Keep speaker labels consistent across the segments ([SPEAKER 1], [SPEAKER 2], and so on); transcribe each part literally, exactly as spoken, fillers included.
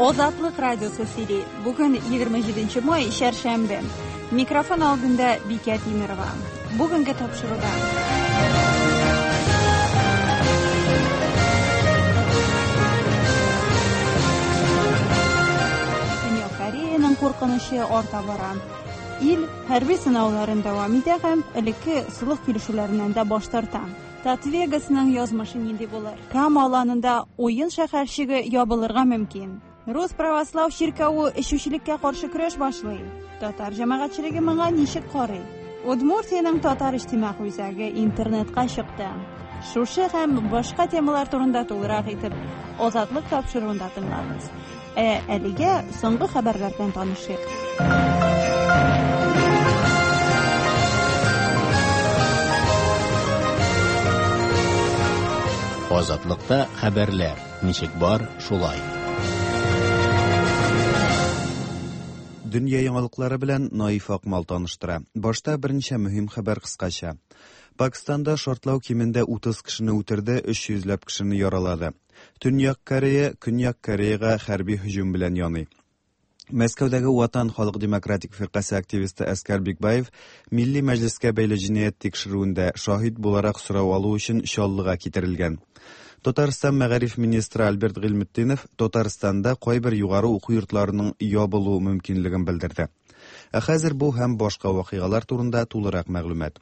[SPEAKER 1] Азатлык радиосы сөйли. Бүген егерме җиденче май, чәршәмбе. Микрофон алдында Бикә Тимирова. Бүгенге тапшыруда. Көньяк Кореяның куркынычы арта бара. Ил хәрби сынауларын дәвам итә һәм элекке солых килешүләреннән дә баш тарта. Татвегасның язмышы нинди булыр? Кама аланында уен шәһәрчеге ябылырга мөмкин. Рус православ чиркәве эчүчелеккә каршы көрәш башлый. Татар җәмәгатьчелеге моңа ничек карый? Удмуртиянең татар иҗтимагый үзәге интернетка чыкты. Шушы һәм башка темалар турында тулырак итеп Азатлык тапшыруында тыңлагыз. Ә әлегә соңгы хәбәрләр белән танышыйк.
[SPEAKER 2] Азатлыкта хәбәрләр ничек бар, шулай.
[SPEAKER 3] Дөнья яңалыклары белән Наиф Акмал таныштыра. Башта берничә мөһим хәбәр кыскача. Пакистанда шартлау кимендә утыз кешене үтерде, өч йөзләп кешене яралады. Төньяк Корея Көньяк Кореяга хәрби һөҗүм белән яный. Мәскәүдәге Ватан халык демократик фиркасе активисты Әскәр Бикбаев Милли Мәҗлескә бәйле җинаять тикшерүендә шаһит буларак сорау алу өчен Чаллыга китерелгән. Татарстан мәгариф министры Альберт Гыйльметдинов Татарстанда кайбер югары уку йортларының ябылу мөмкинлеген белдерде. Ә хәзер бу һәм башка вакыйгалар турында тулырак мәгълүмат.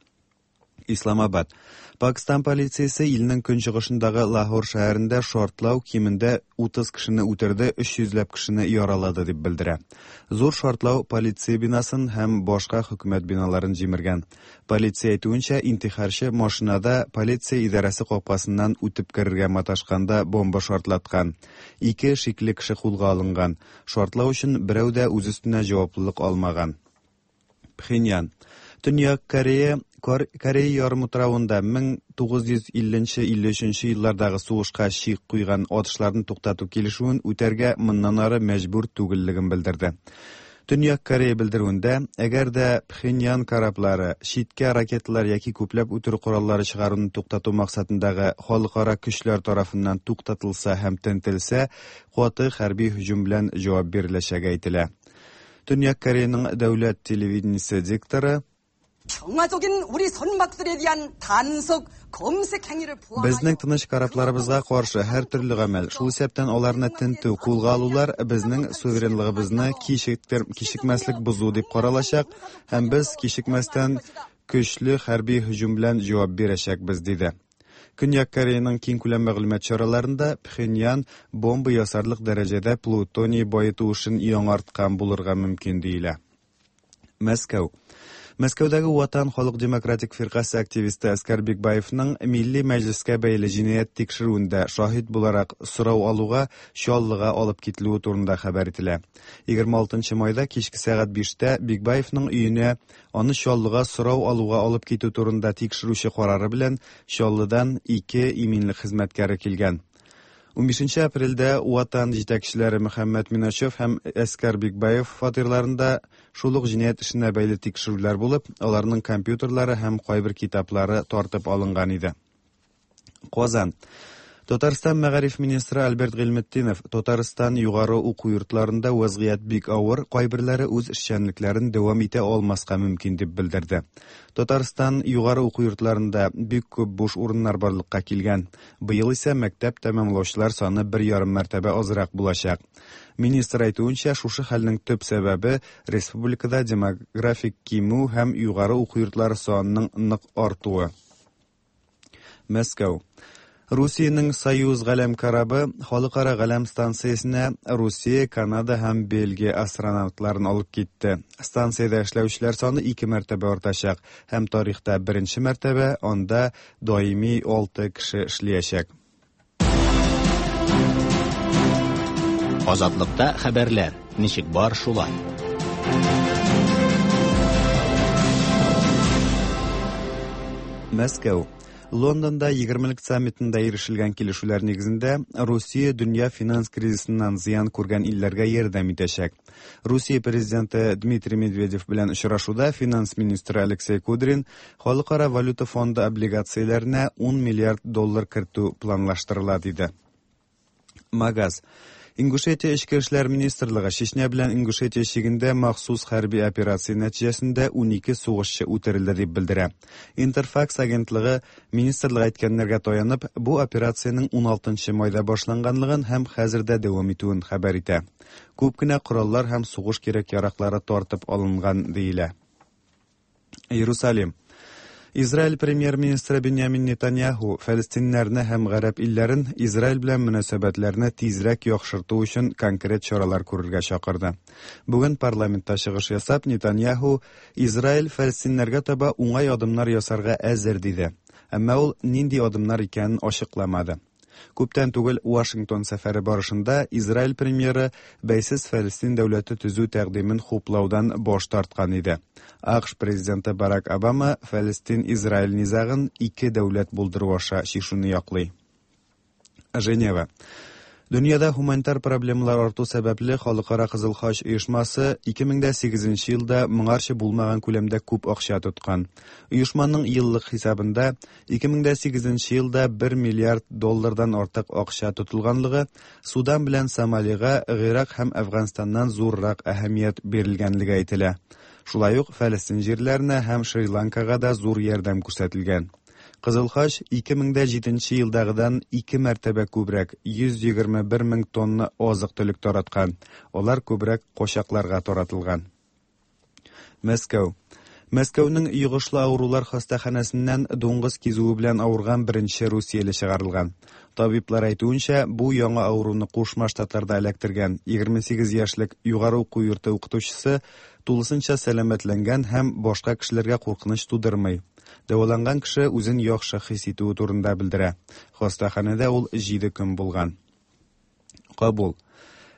[SPEAKER 3] Исламабад. Пакистан полициясе илнең көнчыгышындагы Лахор шәһәрендә шартлау кимендә утыз кешене үтерде, өч йөзләп кешене яралады дип белдерә. Зур шартлау полиция бинасын һәм башка хөкүмәт биналарын җимергән. Полиция әйтүенчә, интихарчы машинада полиция идарәсе капкасыннан үтеп керергә маташканда бомба шартлаткан. Ике шикле кеше кулга алынган. Шартлау өчен берәү дә үз өстенә җаваплылык алмаган. Пхеньян. Төньяк Корея Корея ярымутравында мең тугыз йөз илленче илле өченче еллардагы сугышка чик куйган атышларны туктату килешүен үтәргә моннан ары мәҗбүр түгеллеген белдерде. Төньяк Корея белдерүендә, әгәр дә Пхеньян кораблары читкә ракеталар яки күпләп үтерү кораллары чыгаруны туктату максатындагы халыкара көчләр тарафыннан туктатылса һәм тентелсә, каты хәрби һөҗүм белән җавап биреләчәге әйтелә. Төньяк Кореяның дәүләт телевидениесе дикторы
[SPEAKER 4] 평화적인 우리 선박들에 대한 단속 검색 행위를 포함하여
[SPEAKER 3] Безнең тыныч корабларыбызга каршы һәр төрле гамәл, шул исәптән аларны тентү, кулга алулар безнең суверенлыгыбызны кичектер, кичекмәслек бозу дип каралачак һәм без кичекмәстән көчле хәрби һөҗүм белән җавап бирәчәкбез, диде. Көньяк Кореяның киң күләм мәгълүмат чараларында Пхеньян бомба ясарлык дәрәҗәдә плутоний баету эшен яңарткан булырга мөмкин диелә. Мәскәү. Мәскәүдәге Ватан халык демократик фиркасе активисты Әскәр Бикбаевның Милли Мәҗлескә бәйле җинаять тикшерүендә шаһит буларак сорау алуга Чаллыга алып кителүе турында хәбәр ителә. Егерме алтынчы майда кичке сәгать биштә Бикбаевның өенә аны Чаллыга сорау алуга алып китү турында тикшерүче карары белән Чаллыдан ике иминлек хезмәткәре килгән. Унбишенче апрельдә Ватан җитәкчеләре Мөхәммәт Миначев һәм Әскәр Бикбаев фатирларында шул ук җинаять эшенә бәйле тикшерүләр булып, аларның компьютерлары һәм кайбер китаплары тартып алынган иде. Казан. Татарстан мәгариф министры Альберт Гыйльметдинов Татарстан югары уку йортларында вазгыять бик авыр, кайберләре үз эшчәнлекләрен дәвам итә алмаска мөмкин дип белдерде. Татарстан югары уку йортларында бик күп буш урыннар барлыкка килгән. Быел исә мәктәп тәмамлаучылар саны бер ярым мәртәбә азрак булачак. Министр әйтүенчә, шушы хәлнең төп сәбәбе республикада демографик кимү һәм югары уку йортлары санының нык артуы. Мәскәү. Русиянең Союз галәм корабы халыкара галәм станциясенә Русия, Канада һәм Бельгия астронавтларын алып китте. Станциядә эшләүчеләр саны ике мәртәбә артачак һәм тарихта беренче мәртәбә анда даими алты кеше эшләячәк.
[SPEAKER 2] Азатлыкта хәбәрләр ничек бар шулай.
[SPEAKER 3] Мәскәү. Лондонда егермелек саммитында ирешелгән килешүләр нигезендә Русия дөнья финанс кризисыннан зыян күргән илләргә ярдәм итәчәк. Русия президенты Дмитрий Медведев белән очрашуда финанс министры Алексей Кудрин Халыкара валюта фонды облигацияләренә ун миллиард доллар кертү планлаштырыла диде. Магаз. Ингушетия Эчке эшләр министрлыгы Чечня белән Ингушетия чигендә махсус хәрби операция нәтиҗәсендә унике сугышчы үтерелде дип белдерә. Интерфакс агентлыгы министрлык әйткәннәргә таянып, бу операциянең ун алтынчы майда башланганлыгын һәм хәзер дә дәвам итүен хәбәр итә. Күп кенә кораллар һәм сугыш кирәк-яраклары тартып алынган диелә. Иерусалим. Израиль премьер-министры Беньямин Нетаньяху фәлестиннәрне һәм гарәп илләрен Израиль белән мөнәсәбәтләрне тизрәк яхшырту өчен конкрет чаралар күрергә чакырды. Бүген парламентта чыгыш ясап, Нетаньяху Израиль фәлестиннәргә таба уңай адымнар ясарга әзер диде. Әмма ул нинди адымнар икәнен ачыкламады. Күптән түгел Вашингтон сәфәре барышында Израиль премьеры бәйсез Фәлестин дәүләте төзү тәкъдимен хуплаудан баш тарткан иде. АКШ президенты Барак Обама Фәлестин-Израиль низагын ике дәүләт булдыру аша чишүне яклый. Женева. Дөньяда гуманитар проблемалар арту сәбәпле Халыкара Кызыл Хач оешмасы ике мең дә сигезенче елда моңарчы булмаган күләмдә күп акча тоткан. Оешманың еллык хисабында ике мең дә сигезенче елда бер миллиард доллардан артык акча тотылганлыгы, Судан белән Сомалига, Гыйрак һәм Әфганстаннан зуррак әһәмият бирелгәнлеге әйтелә. Шулай ук Фәлестин җирләренә һәм Шри-Ланкага да зур ярдәм күрсәтелгән. Кызыл Хач ике мең дә җиденче елдагыдан ике мәртәбә күбрәк йөз егерме бер мең тонна азык-төлек тараткан. Алар күбрәк кочакларга таратылган. Мәскәү. Мәскәүнең йогышлы авырулар хастаханәсеннән дуңгыз кизүе белән авырган беренче русияле чыгарылган. Табиблар әйтүенчә, бу яңа авыруны Кушма Штатларда эләктергән егерме сигез яшьлек югары уку йорты укытучысы тулысынча сәламәтләнгән һәм башка кешеләргә куркыныч тудырмый. Дәваланган кеше үзен яхшы хис итүе турында белдерә. Хастаханәдә ул җиде көн булган. Кабул.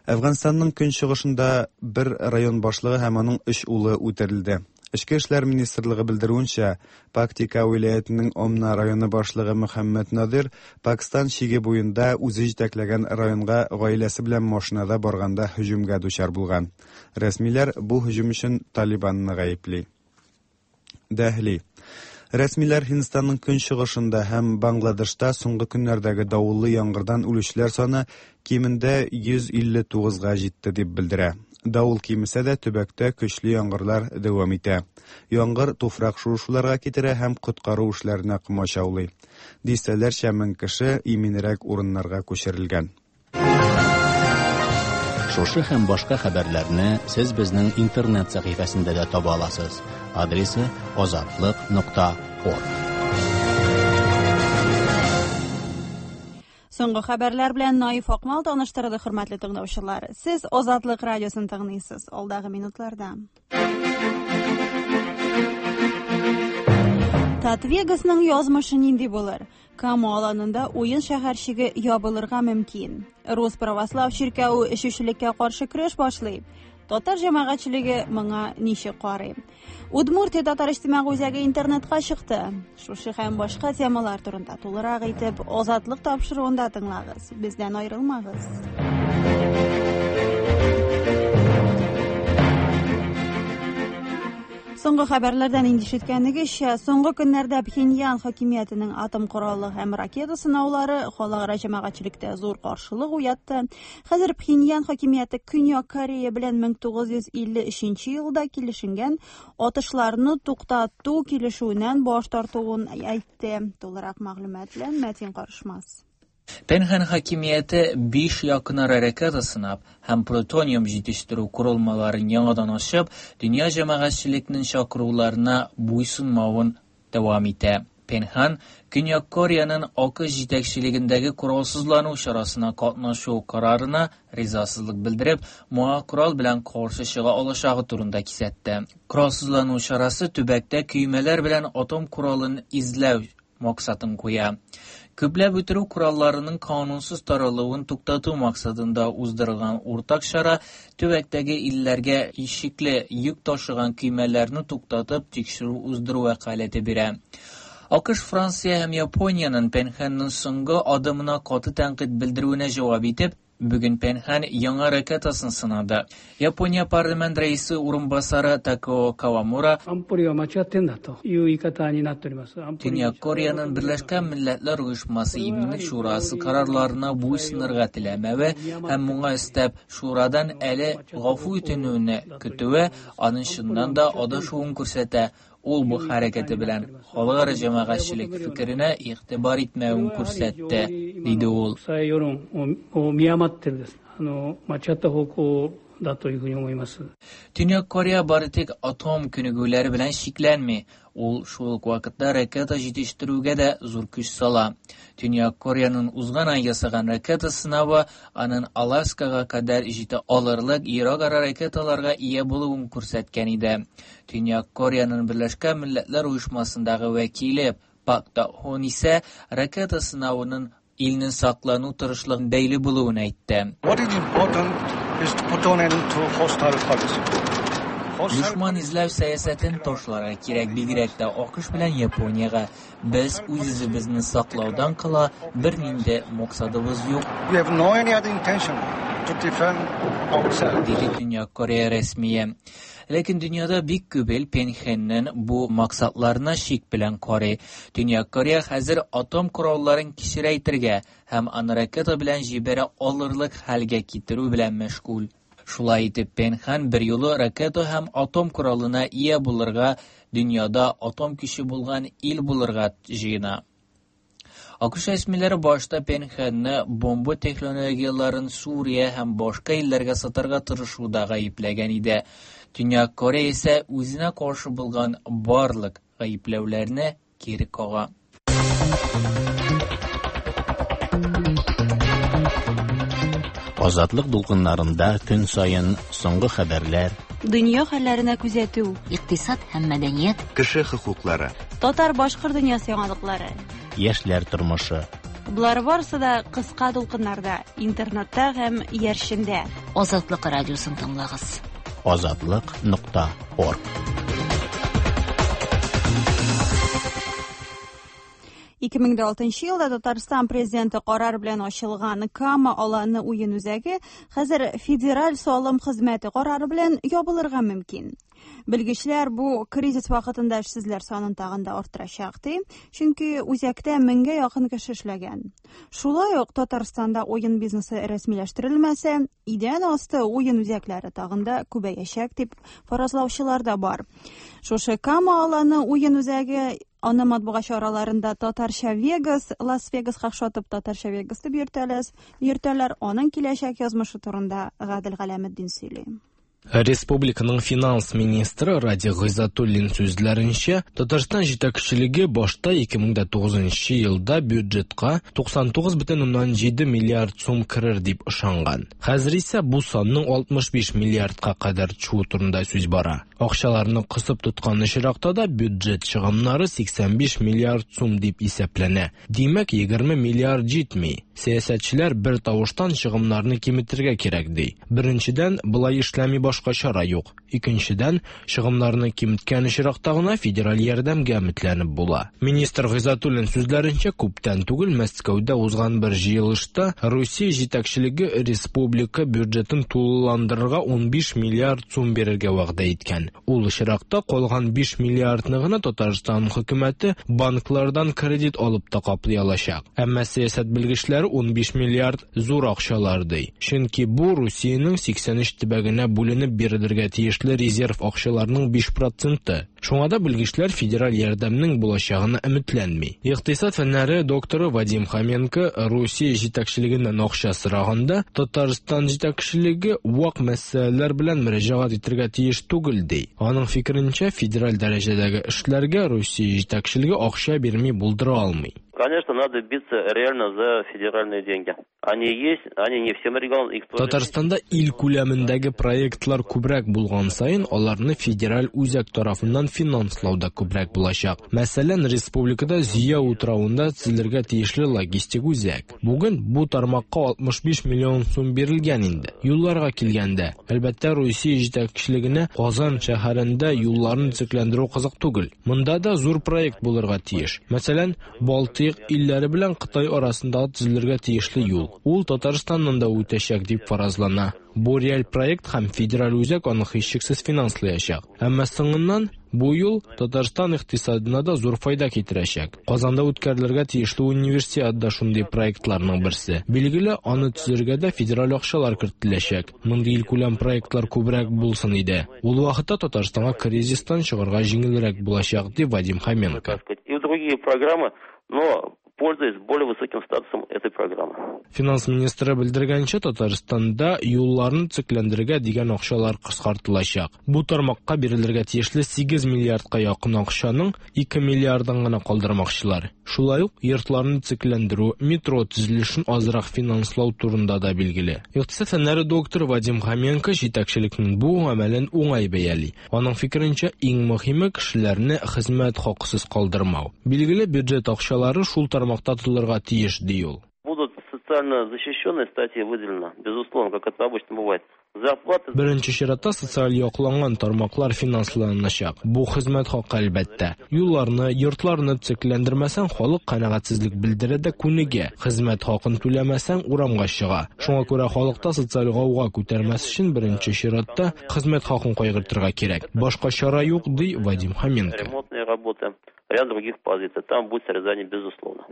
[SPEAKER 3] Әфганстанның көнчыгышында бер район башлыгы һәм аның өч улы үтерелде. Эчке эшләр министрлыгы белдерүенчә, Пактика вилаятының Омна районы башлыгы Мөхәммәд Надир Пакистан чиге буенда үзе җитәкләгән районга гаиләсе белән машинада барганда һөҗүмгә дучар булган. Рәсмиләр бу һөҗүм өчен Талибанны гаепли. Дәһли. Рәсмиләр Һиндстанның көнчыгышында һәм Бангладешта соңгы көннәрдәге давыллы яңгырдан үлүчеләр саны кимендә йөз илле тугызга җитте дип белдерә. Давыл кимесә дә төбәктә көчле яңгырлар дәвам итә. Яңгыр туфрак шуышуларга китерә һәм коткару эшләренә комачаулый. Дистәләрчә мең кеше иминрәк урыннарга күчерелгән.
[SPEAKER 2] Шушы һәм башка хәбәрләрне сез безнең интернет сәхифәсендә дә таба аласыз. Адресы азатлык нокта орг.
[SPEAKER 1] Соңгы хәбәрләр белән Наиф Акмал таныштырды, хөрмәтле тыңлаучылар. Сез Азатлык радиосын тыңлыйсыз. Алдагы минутларда. Татвегасның язмышы нинди булыр? Кама аланында уен шәһәрчеге ябылырга мөмкин. Рус православ чиркәве эчүчелеккә каршы көрәш башлый. Татар җәмәгатьчелеге моңа ничек карый? Удмуртия татар иҗтимагый үзәге интернетка чыкты. Шушы һәм башка темалар турында тулырак итеп Азатлык тапшыруында тыңлагыз. Бездән аерылмагыз. Соңгы хәбәрләрдән инде ишеткәнегезчә, соңгы көннәрдә Пхеньян хакимиятенең атом коралы һәм ракета сынаулары халыкара җәмәгатьчелектә зур каршылык уятты. Хәзер Пхеньян хакимияте Көньяк Корея белән мең тугыз йөз илле өченче елда килешенгән атышларны туктату килешүеннән баш тартуын әйтте. Тулырак мәгълүмат белән Мәтин Карышмас.
[SPEAKER 5] Пенхан хакимияте биш якынара ракета сынап һәм плутониум җитештерү корылмаларын яңадан ачып, дөнья җәмәгатьчелекнең чакыруларына буйсынмавын дәвам итә. Пенхан Көньяк Кореяның АКШ җитәкчелегендәге коралсызлану чарасына катнашу карарына ризасызлык белдереп, моңа корал белән каршы чыга алачагы турында кисәтте. Коралсызлану чарасы төбәктә көймәләр белән атом коралын изләү максатын куя. Күпләп үтерү коралларының канунсыз таралуын туктату максатында уздырылган уртак чара төбәктәге илләргә ишекле йөк ташыган көймәләрне туктатып тикшерү уздыру вәкаләте бирә. АКШ, Франция һәм Япониянең Пенханның соңгы адымына каты тәнкыйть белдерүенә җавап итеп, Бүген Пенхан яңа ракетасын сынады. Япония парламент рәисе урынбасары Такео Кавамура Төньяк Кореяның Берләшкән Милләтләр Оешмасы Иминлек Шурасы карарларына буйсынырга теләмәве һәм моңа өстәп шурадан әле гафу үтенүне көтүе аның чыннан да адашуын күрсәтә. Ул бу хәрәкәте белән халыкара җәмәгатьчелек фикеренә игътибар итмәвен күрсәтте, диде ул. Төньяк Корея бары тик атом күнегүләре белән чикләнми. Ул шул ук вакытта ракета җитештерүгә дә зур көч сала. Төньяк Кореяның узган ай ясаган ракета сынавы аның Аласкага кадәр җитә алырлык ерак-ара ракеталарга ия булуын күрсәткән иде. Төньяк Кореяның Берләшкән Милләтләр Оешмасындагы вәкиле Пак Та-хон исә ракета сынавының илнең саклану тырышлыгын бәйле булуын әйтте.
[SPEAKER 6] What is important is to put an end to hostile policy.
[SPEAKER 5] Дошман эзләү сәясәтен ташларга кирәк, бигрәк тә АКШ белән Япониягә. Без үз-үзебезне саклаудан кала бернинди максатыбыз юк.
[SPEAKER 6] We have no any other intention to defend ourselves.
[SPEAKER 5] Диде Төньяк Корея рәсмие. Ләкин дөньяда бик күп ил Пенхеннең бу максатларына шик белән карый. Төньяк Корея хәзер атом коралларын кечерәйтергә һәм аны ракета белән җибәрә алырлык хәлгә китерү белән мәшгуль. Шулай итеп, Пенхан бер юлы ракета һәм атом коралына ия булырга, дөньяда атом көче булган ил булырга җыена. АКШ рәсмиләре башта Пенханны бомба технологияләрен Сүрия һәм башка илләргә сатарга тырышуда гаепләгән иде. Төньяк Корея исә үзенә каршы булган барлык гаепләүләрне кире кага.
[SPEAKER 2] Азатлык дулкыннарында көн саен соңгы хәбәрләр,
[SPEAKER 1] дөнья хәлләренә күзәтү,
[SPEAKER 7] икътисад һәм мәдәният,
[SPEAKER 3] кеше хокуклары,
[SPEAKER 1] татар-башкорт дөньясы яңалыклары,
[SPEAKER 2] яшьләр тормышы.
[SPEAKER 1] Болар барысы да кыска дулкыннарда, интернетта һәм иярчендә.
[SPEAKER 7] Азатлык радиосын тыңлагыз.
[SPEAKER 2] Азатлык нокта орг.
[SPEAKER 1] ике мең алтынчы елда Татарстан президенты карар белән ачылган Кама аланы уен үзәге хәзер федераль салым хезмәте карары белән ябылырга мөмкин. Белгечләр бу кризис вакытында эшсезләр санын тагын да арттырачак ди, чөнки үзәктә меңгә якын кеше эшләгән. Шулай ук Татарстанда уен бизнесы рәсмиләштерелмәсә, идән асты уен үзәкләре тагын да күбәячәк дип фаразлаучылар да бар. Шушы Кама аланы уен үзәге аны матбугат чараларында татарча Вегас, Лас-Вегаска охшатып татарча Вегас дип йөртәләр, йөртәләр. Аның киләчәк язмышы турында Гадел Галәметдин сөйли.
[SPEAKER 8] Республиканың финанс министры Радик Гыйззатуллин сүзләренчә, Татарстан җитәкчелеге башта ике мең тугызынчы елда бюджетка туксан тугыз бөтен уннан җиде миллиард сум керер дип ышанган. Хәзер исә бу санның алтмыш биш миллиардка кадәр төшүе турында сүз бара. Акчаларны кысып тоткан очракта да бюджет чыгымнары сиксән биш миллиард сум дип исәпләнә. Димәк, егерме миллиард җитми. Сәясәтчеләр бер тавыштан чыгымнарны киметергә кирәк ди. Беренчедән, болай эшләми башка чара юк. Икенчедән, чыгымнарны киметкән очракта гына федераль ярдәмгә өметләнеп була. Министр Гыйззатуллин сүзләренчә, күптән түгел Мәскәүдә узган бер җыелышта Русия җитәкчелеге республика бюджетын тулыландырырга унбиш миллиард сум бирергә вәгъдә иткән. Ул очракта калган биш миллиардны гына Татарстан хөкүмәте банклардан кредит алып та каплый алачак. Әмма сәясәт белгечләре унбиш миллиард зур акчалар ди. Чөнки бу Русиянең сиксән өч төбәгенә бүленеп бирелергә тиешле резерв акчаларның биш проценты. Шуңа да белгечләр федераль ярдәмнең булачагына өметләнми. Икътисад фәннәре докторы Вадим Хоменко Русия җитәкчелегеннән акча сораганда Татарстан җитәкчелеге вак мәсьәләләр белән мөрәҗәгать итәргә тиеш түгел ди. Аның фикеренчә, федераль дәрәҗәдәге эшләргә Русия җитәкчелеге акча бирми булдыра алмый.
[SPEAKER 9] Конечно, надо биться реально за федеральные деньги. Они есть, они не всем регионам, их тоже.
[SPEAKER 8] Татарстанда ил күләмендәге проектлар күбрәк булган саен, аларны федераль үзәк тарафыннан финанслау да күбрәк булачак. Мәсәлән, республикада Зөя утравында төзелергә тиешле логистик үзәк. Бүген бу тармакка алтмыш биш миллион сум бирелгән инде. Юлларга килгәндә, әлбәттә, Русия җитәкчелегенә Казан шәһәрендә юлларны төзекләндерү кызык түгел. Монда да зур проект булырга тиеш. Мәсәлән, Балтыйк илләре белән Кытай арасындагы төзелергә тиешле юл. Ул Татарстаннан да үтәчәк дип фаразлана. Бу реаль проект һәм федераль үзәк аны һичшиксез финанслаячак. Әмма соңыннан бу юл Татарстан икътисадына да зур файда китерәчәк. Казанда үткәрелергә тиешле универсиада да шундый проектларның берсе. Билгеле, аны төзергә дә федераль акчалар кертеләчәк. Мондый илкүләм проектлар күбрәк булсын иде. Ул вакытта Татарстанга кризистан чыгарга җиңелрәк булачак, ди Вадим Хоменко.
[SPEAKER 9] И другие программы, но пользуясь более высоким статусом этой программы.
[SPEAKER 8] Финанс министры белдергәнчә, Татарстанда юлларны төзекләндерергә дигән акчалар кыскартылачак. Бу тармакка бирелергә тиешле сигез миллиардка якын акчаның ике миллиардын гына калдырмакчылар. Шулай ук йортларны төзекләндерү, метро төзелешен азрак финанслау турында да билгеле. Икътисад фәннәре докторы Вадим Хоменко җитәкчелекнең бу гамәлен уңай бәяли. Аның фикеренчә, иң мөһиме кешеләрне хезмәт хакысыз калдырмау. Билгеле, бюджет акчалары шул тармакта тотылырга тиеш, ди ул.
[SPEAKER 9] Будут социально защищенные статьи выделено, безусловно, как это обычно бывает. Зарплаты...
[SPEAKER 8] Беренче чиратта социаль якланган тармаклар финансланачак. Бу хезмәт хакы әлбәттә. Юлларны, йортларны төзекләндермәсәң, халык канәгатьсезлек белдерә дә күнегә. Хезмәт хакын түләмәсәң, урамга чыга. Шуңа күрә халыкта социаль гауга күтәрмәс өчен беренче чиратта хезмәт хакын кайгыртырга кирәк. Башка чара юк, ди Вадим Хоменко.
[SPEAKER 9] Ремонтные работы, ряд других позиций. Там будет срезание, безусловно.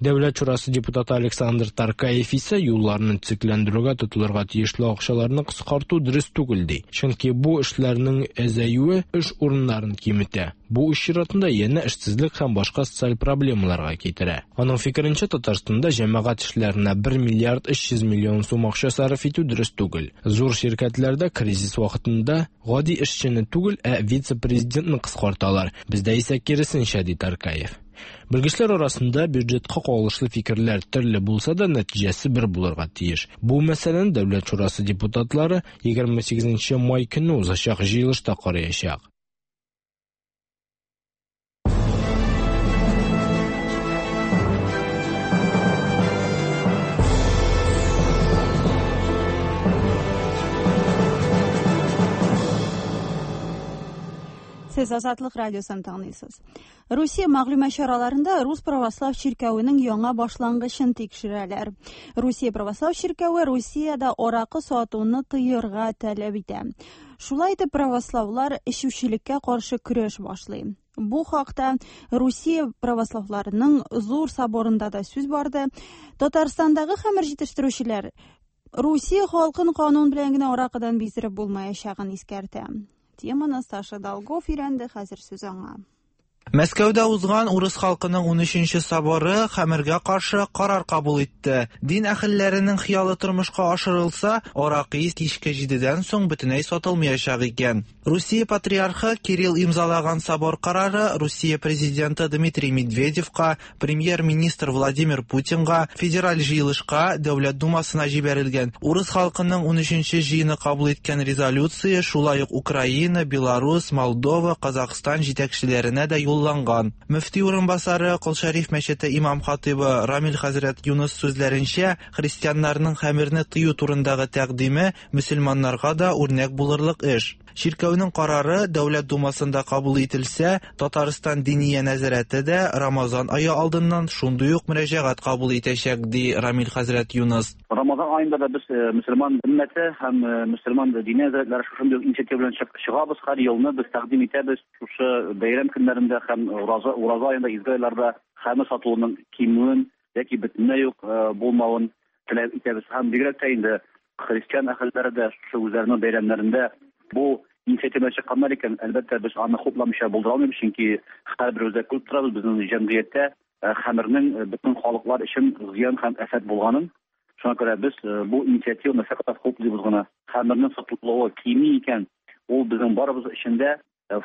[SPEAKER 8] Дәүләт шурасы депутаты Александр Таркаев исә юлларны төзекләндерүгә тотылырга тиешле акчаларны кыскарту дөрес түгел ди. Чөнки бу эшләрнең әзәюе эш урыннарын киметә. Бу эш чиратында янә эшсезлек һәм башка социаль проблемаларга китерә. Аның фикеренчә, Татарстанда җәмәгать эшләренә бер миллиард өч йөз миллион сум акча сарыф итү дөрес түгел. Зур ширкәтләрдә кризис вакытында гади эшчене түгел, ә вице-президентны кыскарталар. Бездә исә киресенчә, ди Таркаев. Белгечләр арасында бюджетка кагылышлы фикерләр төрле булса да, нәтиҗәсе бер булырга тиеш. Бу мәсьәләне Дәүләт шурасы депутатлары егерме сигезенче май көне узачак җыелышта караячак.
[SPEAKER 1] Сез Азатлык радиосын тыңлыйсыз. Русия мәгълүмат чараларында Рус православ чиркәвенең яңа башлангычын тикшерәләр. Русия православ чиркәве Русиядә аракы сатуны тыярга таләп итә. Шулай итеп православлар эчүчелеккә каршы көрәш башлый. Бу хакта Русия православларының зур соборында да сүз барды. Татарстандагы хәмер җитештерүчеләр Русия халкын канун белән генә аракыдан биздереп булмаячагын искәртә. Теманы Саша Долгов өйрәнде, хәзер сүз аңа.
[SPEAKER 10] Мәскәүдә узган урыс халкының ун өченче соборы хәмергә каршы карар кабул итте. Дин әһелләренең хыялы тормышка ашырылса, аракы кичке җидедән соң бөтенләй сатылмаячак икән. Русия патриархы Кирилл имзалаган собор карары Русия президенты Дмитрий Медведевка, премьер-министр Владимир Путинга, федераль җыелышка, Дәүләт Думасына җибәрелгән. Урыс халкының ун өченче җыены кабул иткән резолюция шулай ук Украина, Беларусь, Молдова, Казахстан җитәкчеләренә дә юлланган. Мөфти урынбасары Кол Шәриф мәчете имам хатибы Рамил хәзрәт Юныс сүзләренчә, христианнарның хәмерне тыю турындагы тәкъдиме мөселманнарга да үрнәк булырлык эш. Чиркәүнең карары Дәүләт Думасында кабул ителсә, Татарстан Диния нәзарәте дә Рамазан ае алдыннан шундый ук мөрәҗәгать кабул итәчәк, ди Рамил хәзрәт Юныс.
[SPEAKER 11] Рамазан аенда да без мөселман өммәте һәм мөселман диния нәзарәтләре шушындый инициатива белән чыгабыз. Һәр елны без тәкъдим итәбез шушы бәйрәм көннәрендә һәм ураза ураза аенда изге айларда хәмер сатылуының кимүен яки бөтенләй үк булмавын теләп итәбез. Һәм бигрәк тә инде христиан әһелләре дә шушы үзләренең бәйрәмнәрендә бу инициатива чыкканнар икән, әлбәттә без аны хупламыйча булдыра алмыйбыз, чөнки һәрберебез дә күреп торабыз безнең җәмгыятьтә хәмернең бөтен халыклар өчен зыян һәм афәт булганын. Шуңа күрә без бу инициативаны фәкать хуплыйбыз гына. Хәмернең сатылуы кими икән, ул безнең барыбыз өчен дә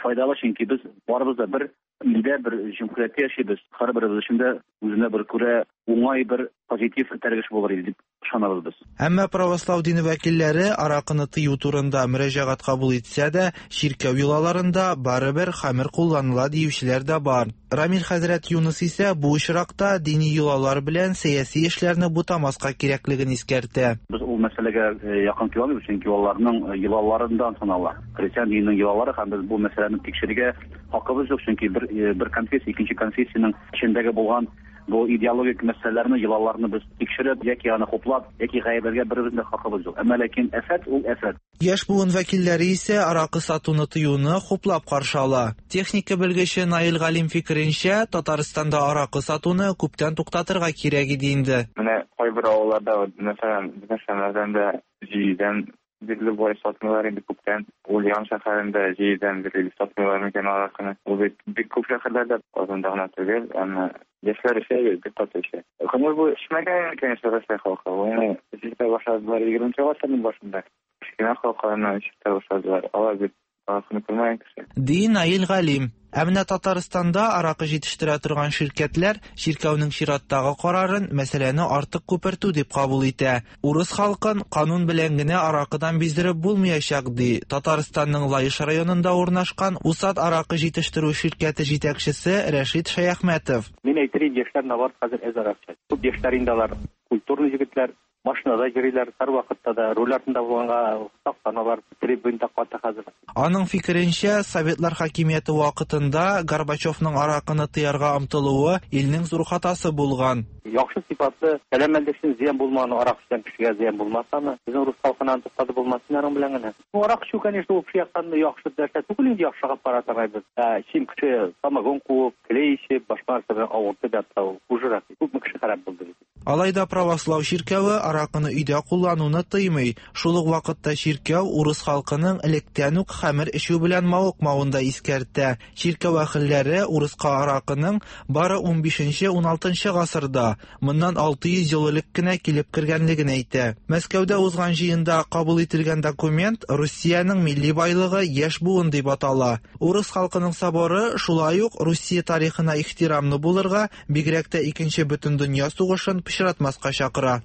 [SPEAKER 11] файдалы, чөнки без барыбыз да бер илдә, бер җөмһүрияттә яшибез. Һәрберебез өчен дә үзенә бер күрә уңай бер позитив этәргеч булыр иде дип ышанабыз без.
[SPEAKER 10] Әмма православ дине вәкилләре аракыны тыю турында мөрәҗәгать кабул итсә дә, чиркәү йолаларында барыбер хәмер кулланыла диючеләр дә бар. Рамил хәзрәт Юныс исә бу очракта дини йолалар белән сәяси эшләрне бутамаска кирәклеген искәртә.
[SPEAKER 11] Без ул мәсьәләгә якын килә алмыйбыз, чөнки аларның йолаларыннан санала. Христиан диненең йолалары һәм без бу мәсьәләне тикшерергә хакыбыз юк, чөнки бер бер конфессия икенче конфессиянең эчендәге булган Бу идеологик мәсьәләләрне, йолаларны без тикшереп, яки аны хуплап, яки гаепләргә беребезнең дә хакыбыз юк. Әмма ләкин афәт ул афәт.
[SPEAKER 10] Яшь буын вәкилләре исә аракы сатуны тыюны хуплап каршы ала. Техника белгече Наил Галим фикеренчә, Татарстанда аракы сатуны күптән туктатырга кирәк иде инде.
[SPEAKER 12] Менә кайбер авылларда, мәсәлән, безнең шәһәрдә җидедән бирле болай сатмыйлар инде күптән. Ульян шәһәрендә җидедән бирле сатмыйлар микән аракыны. Ул бит бик күп шәһәрләрдә, Казанда гына түгел, әмма яшьләр эчә, бик каты эчә. Гомер буе эчмәгән, конечно, Россия халкы. Аны эчә башладылар егерменче гасырның башында. Кечкенә халыкларны эчә башладылар. Алар бит аракыны күрмәгән кеше.
[SPEAKER 10] Ди Наил Галим. Ә менә Татарстанда аракы җитештерә торган ширкәтләр чиркәүнең чираттагы карарын мәсьәләне артык күпертү дип кабул итә. Урыс халкын канун белән генә аракыдан биздереп булмаячак, ди Татарстанның Лаеш районында урнашкан Усад аракы җитештерү ширкәте җитәкчесе Рәшит Шәяхмәтов.
[SPEAKER 13] Мин әйтер идем, яшьләр наоборот хәзер әзрәк эчә. Күп яшьләр инде алар культурный егетләр, машинада йөриләр, һәр вакытта да руль артында булганга сакланалар, трибунда каты хәзер.
[SPEAKER 10] Аның фикеренчә, Советлар хакимияте вакытында Горбачевның аракыны тыярга омтылуы илнең зур хатасы булган.
[SPEAKER 13] Яхшы сыйфатлы, сәламәтлек өчен зыян булмаган арак эчкән кешегә зыян булмасамы, безнең рус халкына туктатып булмасын аның белән генә. Бу арак эчү, конечно, ул яктан яхшы нәрсә түгел инде, яхшыга каратамайбыз. Ә чим кеше самогон куып, клей эчеп, башка нәрсә белән авыртып ятса, ул хужырак. Күпме кеше харап булды бит.
[SPEAKER 10] Алай да православ чиркәве аракыны өйдә куллануны тыймый. Шул ук вакытта чиркәү урыс халкының электән үк хәмер эчү белән мавыкмавын да искәртә. Чиркәү әһелләре урыска аракының бары унбишенче уналтынчы гасырда, моннан алты йөз ел элек кенә килеп кергәнлеген әйтә. Мәскәүдә узган җыенда кабул ителгән документ Русиянең милли байлыгы яшь буын дип атала. Урыс халкының соборы шулай ук Русия тарихына ихтирамлы булырга, бигрәк тә икенче бөтендөнья сугышын пычратмаска чакыра.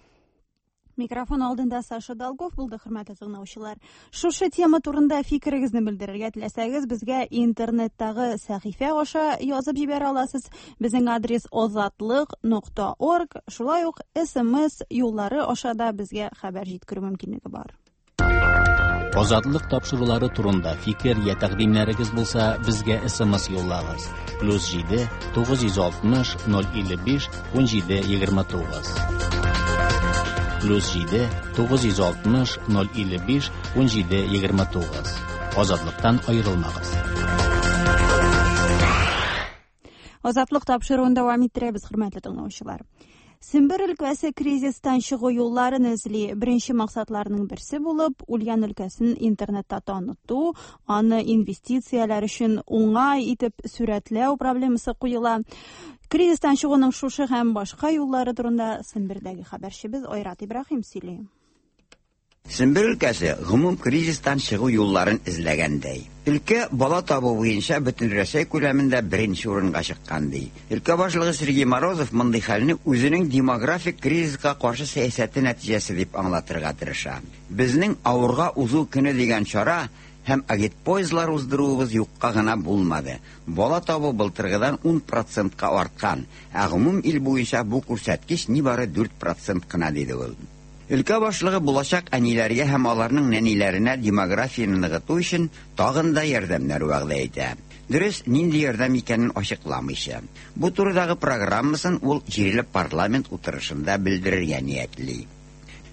[SPEAKER 1] Микрофон алдында Саша Долгов булды, хөрмәтле тыңлаучылар. Шушы тема турында фикерегезне белдерергә теләсәгез, безгә интернеттагы сәхифә аша язып җибәрә аласыз. Безнең адрес озатлык нокта орг. Шулай ук эс эм эс юллары аша да безгә хәбәр җиткерү мөмкинлеге бар.
[SPEAKER 2] Азатлык тапшырулары турында фикер я тәкъдимнәрегез булса, безгә эс эм эс юллагыз. Плюс җиде тугыз йөз алтмыш ноль илле биш ун җиде егерме тугыз. Плюс җиде тугыз йөз алтмыш ноль илле биш ун җиде егерме тугыз. Азатлыктан аерылмагыз.
[SPEAKER 1] Азатлык тапшыруын дәвам иттерәбез, хөрмәтле тыңлаучылар. Сембер өлкәсе кризистан чыгу юлларын эзли. Беренче максатларының берсе булып, Ульян өлкәсен интернетта таныту, аны инвестицияләр өчен уңай итеп сүрәтләү проблемасы куела. Кризистан чыгуның шушы һәм башка юллары турында Сембердәге хәбәрчебез Айрат Ибраһим сөйли.
[SPEAKER 14] Сембер өлкәсе гомум кризистан чыгу юлларын эзләгәндәй. Өлкә бала табу буенча бөтен Рәсәй күләмендә беренче урынга чыккан ди. Өлкә башлыгы Сергей Морозов мондый хәлне үзенең демографик кризиска каршы сәясәте нәтиҗәсе дип аңлатырга тырыша. Безнең авырга узу көне дигән чара һәм агитпоездлар уздыруыбыз юкка гына булмады. Бала табу былтыргыдан ун процентка арткан, ә гомум ил буенча бу күрсәткеч нибары дүрт процент кына, диде ул. Өлкә башлыгы булачак әниләргә һәм аларның нәниләренә демографияне ныгыту өчен тагын да ярдәмнәр вәгъдә итә. Дөрес, нинди ярдәм икәнен ачыкламыйча. Бу турыдагы программасын ул җирле парламент утырышында белдерергә ниятли.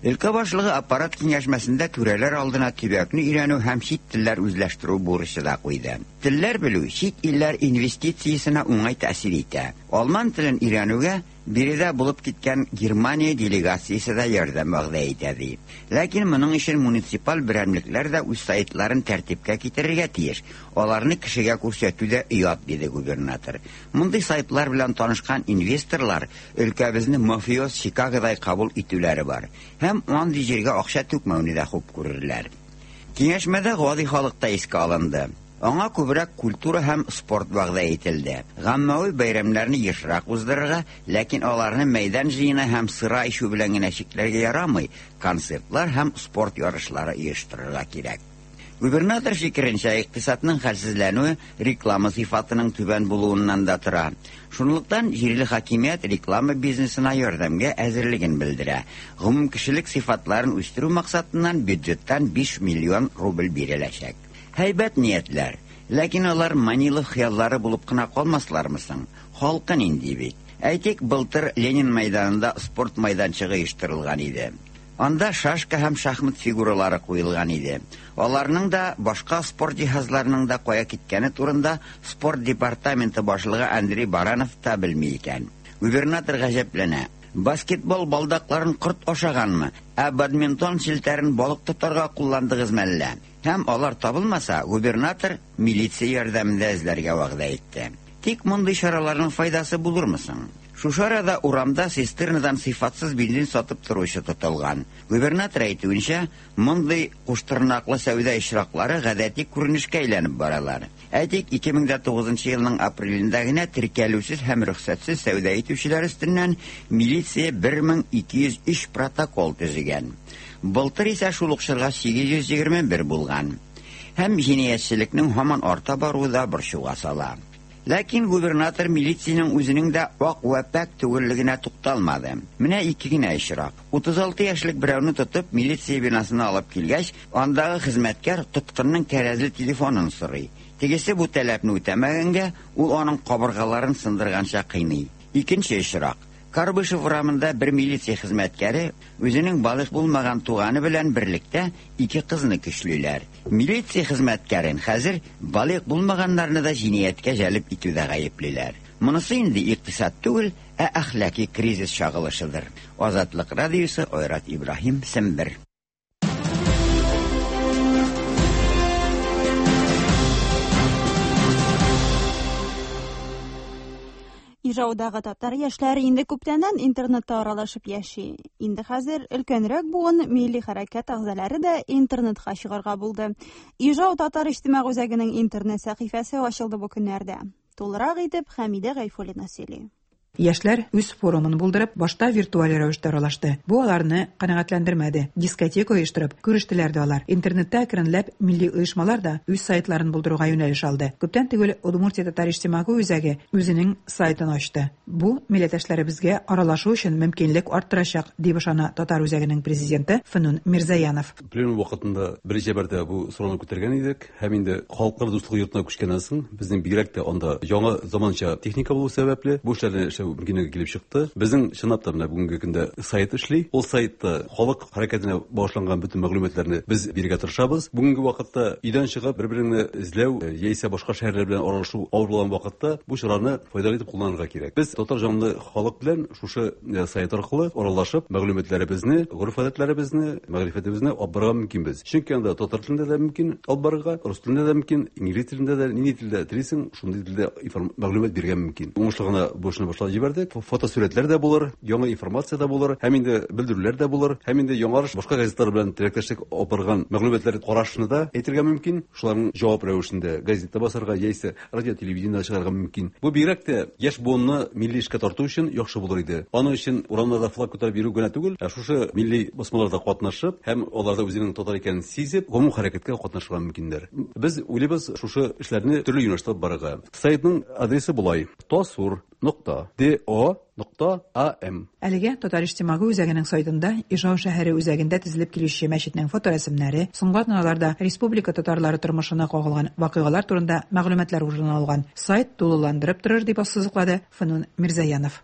[SPEAKER 14] Өлкә башлыгы аппарат киңәшмәсендә түрәләр алдына төбәкне өйрәнү һәм чит телләр үзләштерү бурычы да куйды. Телләр белү чит илләр инвестициясенә уңай тәэсир итә. Алман телен өйрәнүгә биредә булып киткән Германия делегациясе дә ярдәм вәгъдә итә ди. Ләкин моның өчен муниципаль берәмлекләр дә үз сайтларын тәртипкә китерергә тиеш. Аларны кешегә күрсәтү дә оят, диде губернатор. Мондый сайтлар белән танышкан инвесторлар өлкәбезне мафиоз Чикагодай кабул итүләре бар. Һәм андый җиргә акча түкмәүне дә хуп күрерләр. Киңәшмәдә гади халык та искә алынды. Аңа күбрәк культура һәм спорт вәгъдә ителде. Гаммәви бәйрәмнәрне ешрак уздырырга, ләкин аларны мәйдан җыены һәм сыра эчү белән генә чикләргә ярамый, концертлар һәм спорт ярышлары оештырырга кирәк. Губернатор фикеренчә, икътисадның хәлсезләнүе реклама сыйфатының түбән булуыннан да тора. Шунлыктан җирле хакимият реклама бизнесына ярдәмгә әзерлеген белдерә. Гомумкешелек сыйфатларын үстерү максатыннан бюджеттан биш миллион рубль биреләчәк. Һәйбәт ниятләр, ләкин алар Манилов хыяллары булып кына калмаслармы соң? Халкы нинди бит? Әйтик, былтыр Ленин мәйданында спорт мәйданчыгы оештырылган иде. Анда шашка һәм шахмат фигуралары куелган иде. Аларның да, башка спорт җиһазларының да кая киткәне турында спорт департаменты башлыгы Андрей Баранов та белми икән. Губернатор гаҗәпләнә. Баскетбол балдакларын корт ашаганмы, ә бадминтон челтәрен балык тотарга кулландыгызмы әллә? Һәм алар табылмаса, губернатор милиция ярдәмендә эзләргә вәгъдә итте. Тик мондый чараларның файдасы булырмы соң? Шушы арада урамда цистернадан сыйфатсыз бензин сатып торучы тотылган. Губернатор әйтүенчә, мондый куштырнаклы сәүдә очраклары гадәти күренешкә әйләнеп баралар. Әйтик, ике мең дә тугызынчы елның апрелендә генә теркәлүсез һәм рөхсәтсез сәүдә итүчеләр өстеннән милиция бер мең ике йөз өч протокол төзегән. Былтыр исә шул ук чорга сигез йөз егерме бер булган. Һәм җинаятьчелекнең һаман арта баруы да борчуга сала. Ләкин губернатор милициянең үзенең дә ак вә пәк түгеллегенә тукталмады. Менә ике генә очрак. Утыз алты яшьлек берәүне тотып милиция бинасына алып килгәч, андагы хезмәткәр тоткынның кәрәзле телефонын сорый. Тегесе бу таләпне үтәмәгәнгә, ул аның кабыргаларын сындырганча кыйный. Икенче очрак. Карбышев урамында бер милиция хезмәткәре үзенең балигъ булмаган туганы белән берлектә ике кызны көчлиләр. Милиция хезмәткәрен хәзер балигъ булмаганнарны да җинаятькә җәлеп итүдә гаеплиләр. Монысы инде икътисад түгел, ә әхлаки кризис чагылышыдыр. Азатлык радиосы, Айрат Ибраһим, Сембер.
[SPEAKER 1] Ижаудагы татар яшьләре инде күптәннән интернетта аралашып яши. Инде хәзер өлкәнрәк буын милли хәрәкәт әгъзалары да интернетка чыгарга булды. Ижау татар иҗтимагый үзәгенең интернет сәхифәсе ачылды бу көннәрдә. Тулырак итеп Хәмидә Гайфуллина сөйли.
[SPEAKER 15] Яшьләр үз форумын булдырып, башта виртуаль рәвештә аралашты. Бу аларны канәгатьләндермәде. Дискотека оештырып, күрештеләр дә алар. Интернетта әкренләп милли оешмалар да үз сайтларын булдыруга юнәлеш алды. Күптән түгел Удмуртия татар иҗтимагый үзәге үзенең сайтын ачты. Бу милләттәшләребезгә аралашу өчен мөмкинлек арттырачак, дип ышана татар үзәгенең президенты Фенун Мирзаянов.
[SPEAKER 16] Пленум вакытында беренче мәртәбә бу сорауны күтәргән идек һәм инде Халыклар дуслыгы йортына күчкәннән соң безнең бигрәк тә анда яңа заманча техника булу сәбәпле бу эшләрне эшләү мөмкинлеге килеп чыкты. Безнең чынлап та менә бүгенге көндә сайт эшли. Ул сайтта халык хәрәкәтенә багышланган бөтен мәгълүматларны без бирергә тырышабыз. Бүгенге вакытта өйдән чыгып бер-береңне эзләү яисә башка шәһәрләр белән аралашу авыр булган вакытта бу чараны файдалы итеп кулланырга кирәк. Без татар җанлы халык белән шушы сайт аркылы аралашып мәгълүматларыбызны, гореф-гадәтләребезне, мәгърифәтебезне алып барырга мөмкинбез. Чөнки анда татар телендә дә мөмкин алып барырга, рус телендә дә мөмкин, инглиз телендә дә, нинди телдә телисең, шундый телдә мәгълүмат бирергә мөмкин. Уңышлы гына бу эшне башлап җибәрдек. Фотосурәтләр дә булыр, яңа информация дә булыр, һәм инде белдерүләр дә булыр, һәм инде яңарыш башка газетлар белән теләктәшлек алып барган мәгълүматлар карашны да әйтергә мөмкин. Шуларның җавап рәвешендә газетта басарга яисә радио, телевидениедә чыгарга мөмкин. Бу бигрәк тә яшь буынны милли эшкә тарту өчен яхшы булыр иде. Аның өчен урамнарда флаг күтәреп йөрү генә түгел, ә шушы милли басмаларда катнашып һәм аларда үзенең татар икәнен сизеп, гомум хәрәкәткә катнашырга мөмкиннәр. Без уйлыйбыз шушы эшләрне төрле юнәлештә алып барырга. Сайтның адресы болай: tasur нокта do нокта am.
[SPEAKER 15] Әлегә Татар иҗтимагый үзәгенең сайтында Ижау шәһәре үзәгендә төзелеп килүче мәчетнең фоторәсемнәре, соңгы атналарда республика татарлары тормышына кагылган вакыйгалар турында мәгълүматлар урын алган. Сайт тулыландырып торыр, дип ассызыклады Фенун Мирзаянов.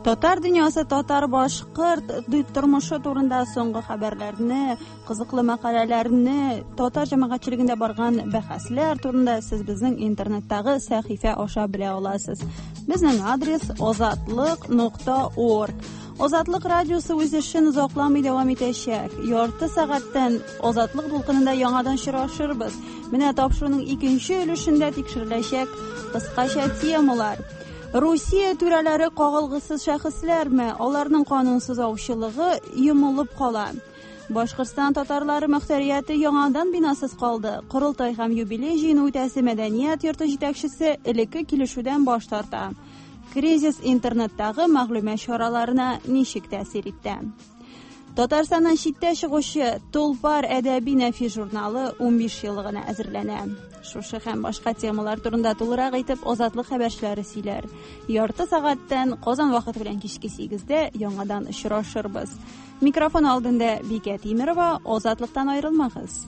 [SPEAKER 1] Татар дөньясы, татар башкорт тормышы турында соңгы хәбәрләрне, кызыклы мәкаләләрне, татар җәмәгатьчелегендә барган бәхәсләр турында сез безнең интернеттагы сәхифә аша белә аласыз. Безнең адрес озатлык нокта орг. Азатлык радиосы үз эшен озакламый дәвам итәчәк. Ярты сәгатьтән Азатлык дулкынында яңадан очрашырбыз. Менә тапшыруның икенче өлешендә тикшереләчәк кыскача темалар. Русия түрәләре кагылгысыз шәхесләрме? Аларның канунсыз аучылыгы йомылып кала. Башкортстан татарлары мөхтәрияте яңадан бинасыз калды. Корылтай һәм юбилей җыены үтәсе мәдәният йорты җитәкчесе элекке килешүдән баш тарта. Кризис интернеттагы мәгълүмат чараларына ничек тәэсир итте? Татарстаннан читтә чыгучы Тулпар әдәби нәфис журналы унбиш еллыгына әзерләнә. Шушы һәм башка темалар турында тулырак итеп Азатлык хәбәрчеләре сөйләр. Ярты сәгатьтән Казан вакыты белән кичке сигездә яңадан очрашырбыз. Микрофон алдында Бикә Тимерова, Азатлыктан аерылмагыз.